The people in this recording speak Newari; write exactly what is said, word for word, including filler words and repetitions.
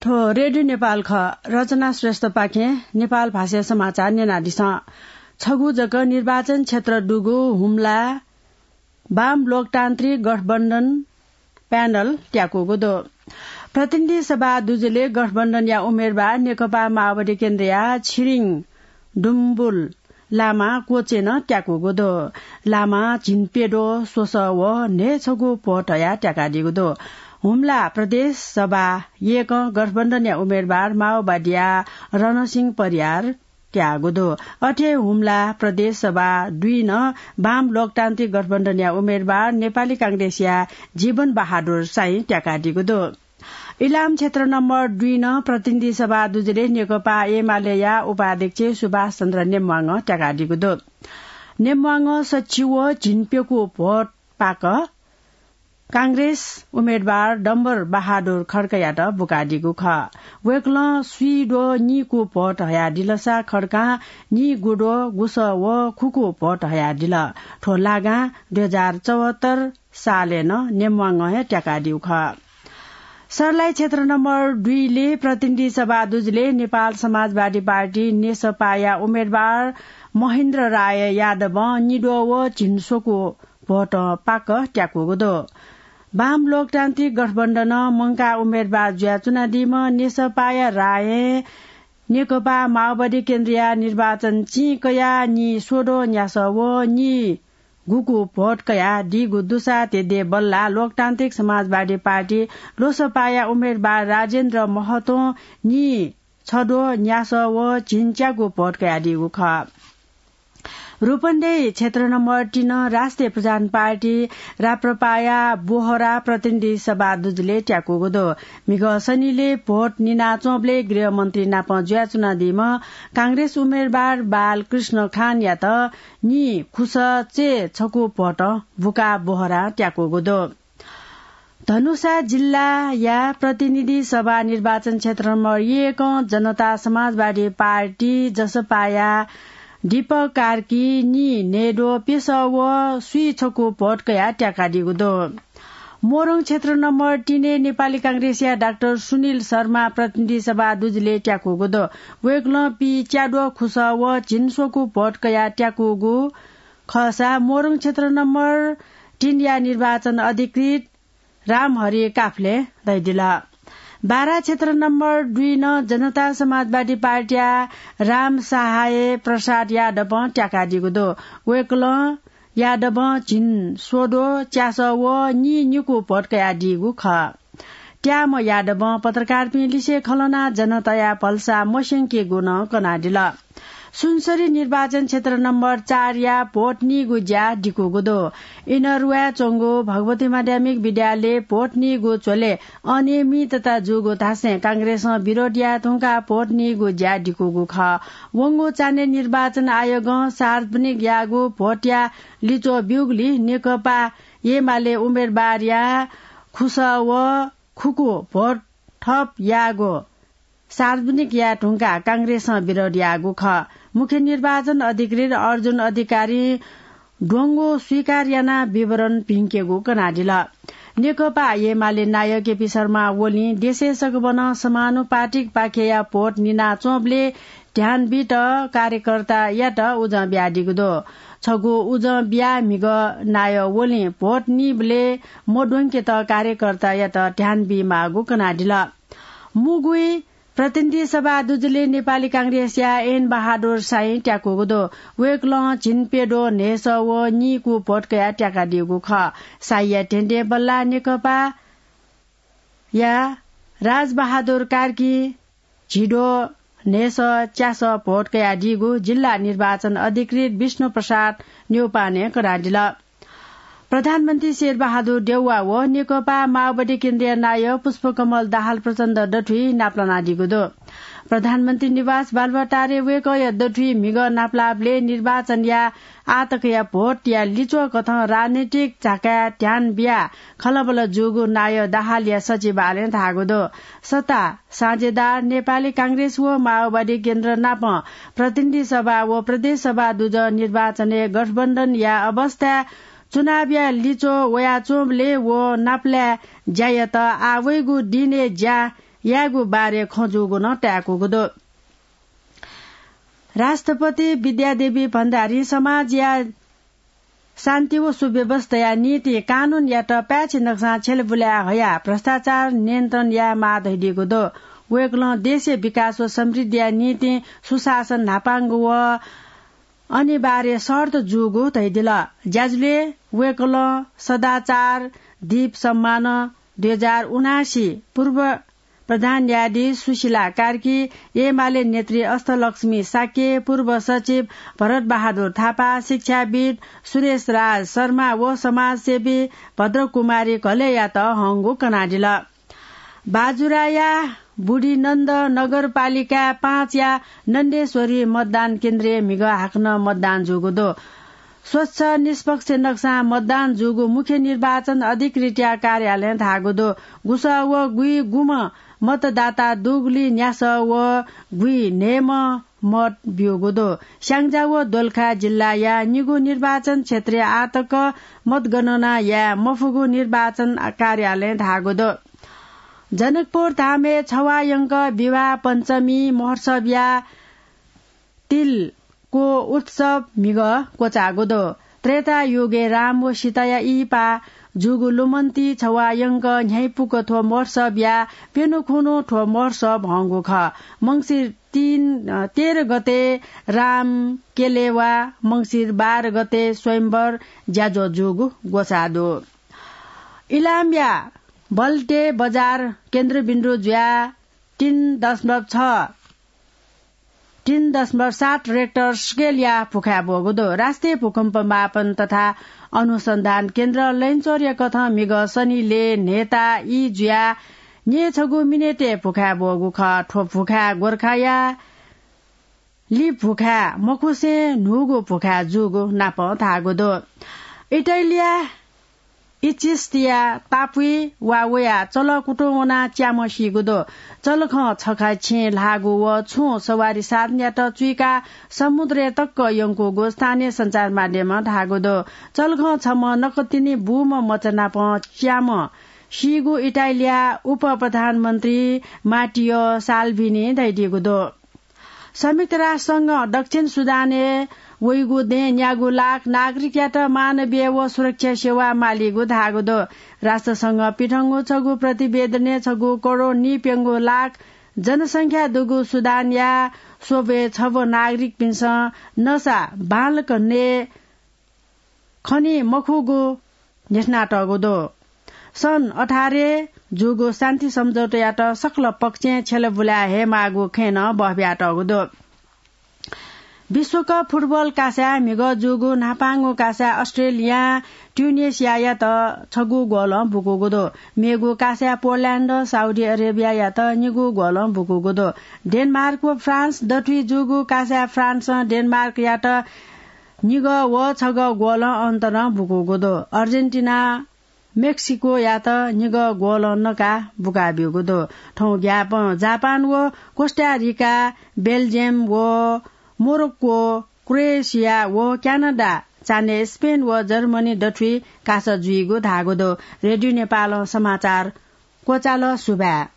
थ्व रेडियो नेपाल खः। रचना श्रेष्ठपाखें नेपाल भाषाया समाचार न्यनादिसँ। छगू जक निर्वाचन क्षेत्र दुगु हुम्ला वाम लोकतान्त्रिक गठबन्धन प्यानल त्याकूगु दु। प्रतिनिधि सभा दुजुले गठबन्धनया उम्मेदवार नेकपा माओवादी केन्द्रया छिरिङ डुम्बुल लामा कोचे नं त्याकूगु दु। लामा झिंप्यद्वः स्वसः व न्हय्‌छगू भोट हयाः त्याकादीगु दु। हुम्ला प्रदेश सभा यय्‌कं गठबन्धनया उम्मेदवार माओवादीया रणसिंह परियार त्याःगु दु। अथे हुम्ला प्रदेश सभा दुई नं वाम लोकतान्त्रिक गठबन्धनया उम्मेदवार नेपाली कांग्रेसया जीवन बहादुर साई त्याकादीगु दु। इलाम क्षेत्र नम्बर दुई नं प्रतिनिधि सभा दुजुले नेकपा एमालेया उपाध्यक्ष सुभाष चन्द्र नेम्वाङ त्याकादीगु दु। नेम्वाङ सच्छि व झिंप्यकू भोट पाक कांग्रेस उम्मेदवार डम्बर बहादुर खड्कायात बुकादीगु खः। वय्‌कलं स्वीद्वः नीकू भोट हयादिलसा खड्कां नीगुद्वः गुसः व खुकू भोट हयादिल। थ्व लागां दुई हजार चौहत्तर सालय् नं नेम्वाङ हे त्याकादीगु खः। सर्लाही क्षेत्र नम्बर दुईले प्रतिनिधि सभा दुजुले नेपाल समाजवादी पार्टी नेसपाया उम्मेदवार महेन्द्र राय यादवं निद्वः व झिंस्वकू भोट पाक त्याकूगु दु। वाम लोकतान्त्रिक गठबन्धनं मंकाः उम्मेदवार जुयाच्वनादीम्ह नेसपाया रायं नेकपा माओवादी केन्द्रया निर्वाचन चिं कयाः नीस्वद्वः न्यासः व नीगुकू भोट कयादीगु दुसा तेदे बल्लाः लोकतान्त्रिक समाजवादी पार्टी लोसपाया उम्मेदवार राजेन्द्र महतों नीछद्वः न्यासः व झिंच्यागू भोट कयादीगु खः। रूपन्देही क्षेत्र नम्बर तीन राष्ट्रिय प्रधान पार्टी राप्रपाया बोहरा प्रतिनिधि सभा दुजुले त्याकूगु दु। म्हिगः सनिले भोट निनाच्वंबलय् गृहमन्त्री नाप जुयाच्वनादीम्ह कांग्रेस उम्मेदवार बालकृष्ण खानयात नीखुसः चय्‌छकू भोट बुकाः बोहरा त्याकूगु दु। धनुषा जिल्लाया प्रतिनिधि सभा निर्वाचन क्षेत्र नम्बर एकं जनता समाजवादी पार्टी जसपाया दीपक कार्की नीन्हय्‌द्वः प्यसः व स्वीछकू भोट कयाः त्याकादीगु दु। मोरङ क्षेत्र नम्बर तीनय् नेपाली कांग्रेसया डाक्टर सुनिल शर्मा प्रतिनिधि सभा दुजुले त्याकूगु दु। वय्‌कलं पीच्याद्वः खुसः व झिंस्वकू भोट कयाः त्याकूगु खःसा मोरङ क्षेत्र नम्बर तीनया निर्वाचन अधिकृत रामहरि काफ्ले दइदिल। बारा क्षेत्र नम्बर दुईनं जनता समाजवादी पार्टीया राम सहाय प्रसाद यादवं त्याकादीगु दु। वय्‌कलं यादवं झिंस्वद्वः च्यासः व नीनिकू भोट कयादीगु खः। त्याःम्ह यादवं पत्रकारपिं लिसे खँ ल्हानाः जनताया भलसा मस्यंकीगु नं कनादिल। सुनसरी निर्वाचन क्षेत्र नम्बर चारया भोट नीगु ज्या दिकूगु दु। इनरुवाय् च्वंगु भगवती माध्यमिक विद्यालय भोट नीगु झ्वलय् अनियमितता जूगु धासें कांग्रेसं विरोध याये धुंकाः भोट नीगु ज्या दिकूगु खः। वंगु चान्हय् निर्वाचन आयोगं सार्वजनिक याःगु भोटया लिच्वः ब्यूगुलिं नेकपा एमाले उम्मेदवारया खुसः व खुकू भोट थप याःगु सार्वजनिक याये धुंकाः कांग्रेसं विरोध याःगु खः। मुख्य निर्वाचन अधिकृत अर्जुन अधिकारीं द्वंगु स्वीकार यानाः विवरण भिंकेगु कनादिल। नेकपा एमाले नायः केपी शर्मा ओलीं देशय् सकभनं समानुपातिक पाखेया भोट निनाच्वंबलय् ध्यान बीत कार्यकर्तायात उजं बियादीगु दु। छगू उजं बियाः म्हिगः नायः ओलीं भोट नीबलय् मद्वंकेत कार्यकर्तायात ध्यान बीमाःगु कनादिल। मुगुइ प्रतिनिधि सभा दुजुलय् नेपाली कांग्रेसया एन बहादुर साई त्याकूगु दु। वय्‌कलं झिंप्यद्वः न्हय्‌सः व नीकू भोट कयाः त्याकादीगु खः। साईया धेंधें बल्लाः नेकपाया राजबहादुर कार्कीं झिद्वः न्हय्‌सः च्यासः भोट कयादीगु जिल्ला निर्वाचन अधिकृत विष्णु प्रसाद न्यौपानें कनादिल। प्रधानमन्त्री शेरबहादुर देउवा व नेकपा माओवादी केन्द्रीय नायः पुष्पकमल दाहाल प्रचण्ड दथुइ नापलानादीगु दु। प्रधानमन्त्री निवास बालुवाटारय् वय्‌कःया दथुइ म्हिगः नापलाःबलय् निर्वाचनया आःतकया भोटया लिच्वः कथं राजनैतिक झाकाय् ध्यान बियाः खँल्हाबल्हा जूगु नायः दाहालया सचिवालयं धाःगु दु। सत्ता साझेदार नेपाली कांग्रेस व माओवादी केन्द्र नाप प्रतिनिधि सभा व प्रदेश सभा दुजः निर्वाचनय् गठबन्धनया अवस्थाय् चुनावया लिच्वः वयाच्वंबलय् व नापलाये ज्यायात आः वइगु दिनय् ज्या यायेगु बारे खँ जूगु नं ताय्‌कूगु दु। राष्ट्रपति विद्यादेवी भण्डारी समाजया शान्ति व सुव्यवस्थाया निंतिं कानूनयात पाय्‌छि नकसां छ्यलेबुलाय् हयाः भ्रष्टाचार नियन्त्रण यायेमाः धयादीगु दु। वय्‌कलं देशया विकास व समृद्धिया निंतिं सुशासन न्हापांगु व अनिवार्य शर्त जूगु धयादिल। ज्याझ्वलय् वय्‌कलं सदाचार दीप सम्मान दुई हजार उनासी पूर्व प्रधान न्यायाधीश सुशीला कार्की, एमाले नेत्री अष्टलक्ष्मी शाक्य, पूर्व सचिव भरत बहादुर थापा, शिक्षाविद् सुरेश राज शर्मा व समाजसेवी भद्रकुमारी घलेयात हंगु कनादिल। बाजुराया बुढीनन्द नगरपालिका पाँचया नन्देश्वरी मतदान केन्द्रय् म्हिगः हाकनं मतदान जूगु दु। स्वच्छ निष्पक्ष नकसां मतदान जूगु मुख्य निर्वाचन अधिकृतया कार्यालयं धाःगु दु। गुसः व गुइगुम्ह मतदाता दुगुलिं न्यासः व गुइन्हय्‌म्ह मत ब्यूगु दु। स्‍याङ्जा व दोलखा जिल्लाया निगू निर्वाचन क्षेत्रय् आःतक मतगणना याये मफुगु निर्वाचन कार्यालयं धाःगु दु। जनकपुर धामय् छवाःयंक विवाह पञ्चमी महोत्सवया तिलको उत्सव म्हिगः क्वचाःगु दु। त्रेता युगय् राम व सीताया इहिपा जूगु लुमन्ति छवाःयंक न्ह्याइपुक थ्व महोत्सवया प्यन्हु खुन्हु थ्व महोत्सव हंगु खः। मंसिर तीन, अ, तेह्र गते राम केलेवा, मंसिर बाह्र गते स्वयम्वर ज्याझ्वः जूगु ग्वसाः दु। इलामया बल्टे बजार केन्द्रबिन्दु जुयाः तीन दशमलव छ, तीन दशमलव सात रेक्टर स्केलया भुखाय् ब्वःगु दु। राष्ट्रिय भूकम्प मापन तथा अनुसन्धान केन्द्र लैनचौरया कथं म्हिगः सनिलय् न्हय्‌ता ई जुयाः न्यय्‌छगू मिनेटय् भुखाय् ब्वःगु खः। थ्व भुखाय् गोर्खाया लि भुखाय् मखुसें न्हूगु भुखाय् जूगु नापं धाःगु दु। इटालिया इचिस्तिया टापुइ वा वया चलः कुतुं वनाः च्याम्ह सीगु दु। चलखं छखा छेँ ल्हाःगु व छुं सवारी साधनयात चुइकाः समुद्रय् तक यंकूगु स्थानीय सञ्चार माध्यमं धाःगु दु। चलखं छम्ह नकतिनि बूम्ह मचा नाप च्याम्ह सीगु इटालिया उपप्रधानमन्त्री माटियो साल्भिनी धयादीगु दु। संयुक्त राष्ट्र संघं दक्षिण सुडानय् वइगु दँय् न्यागू लाख नागरिकयात मानवीय व सुरक्षा सेवा मालीगु धाःगु दु। राष्ट्र संघं पिथंगु छगू प्रतिवेदनय् छगू करोड नीप्यंगू लाख जनसंख्या दुगु सुडानया स्वब्वय् छब्व नागरिकपिन्सं नसा बांलाक नये खनी मखुगु न्ह्यथनातःगु दु। सन् अठारय् जूगु शान्ति सम्झौतायात सकल पक्षं छ्यलेबुलाय् हयेमाःगु खँय् नं बहबियातःगु दु। विश्वकप फुटबल कासाय् म्हिगः जूगु न्हापांगु कासाय् अस्ट्रेलियां ट्युनेसियायात छगू गोलं बुकूगु दु। मेगु कासाय् पोल्याण्डं साउदी अरेबियायात निगू गोलं बुकूगु दु। डेनमार्क व फ्रान्स दथुइ जूगु कासाय् फ्रान्सं डेनमार्कयात निगः व छगः गोलं अन्तरं बुकूगु दु। अर्जेन्टिनां मेक्सिकोयात निगः गोलं नकाः बुकाब्यूगु दु। थौं ग्याःपं जापान व कोस्टारिका, बेल्जियम व मोरोक्को, क्रोएसिया व क्यानाडा, चान्हय् स्पेन व जर्मनी दथुइ कासा जुइगु धाःगु दु। रेडियो नेपालं समाचार क्वचाल। सुभाय्।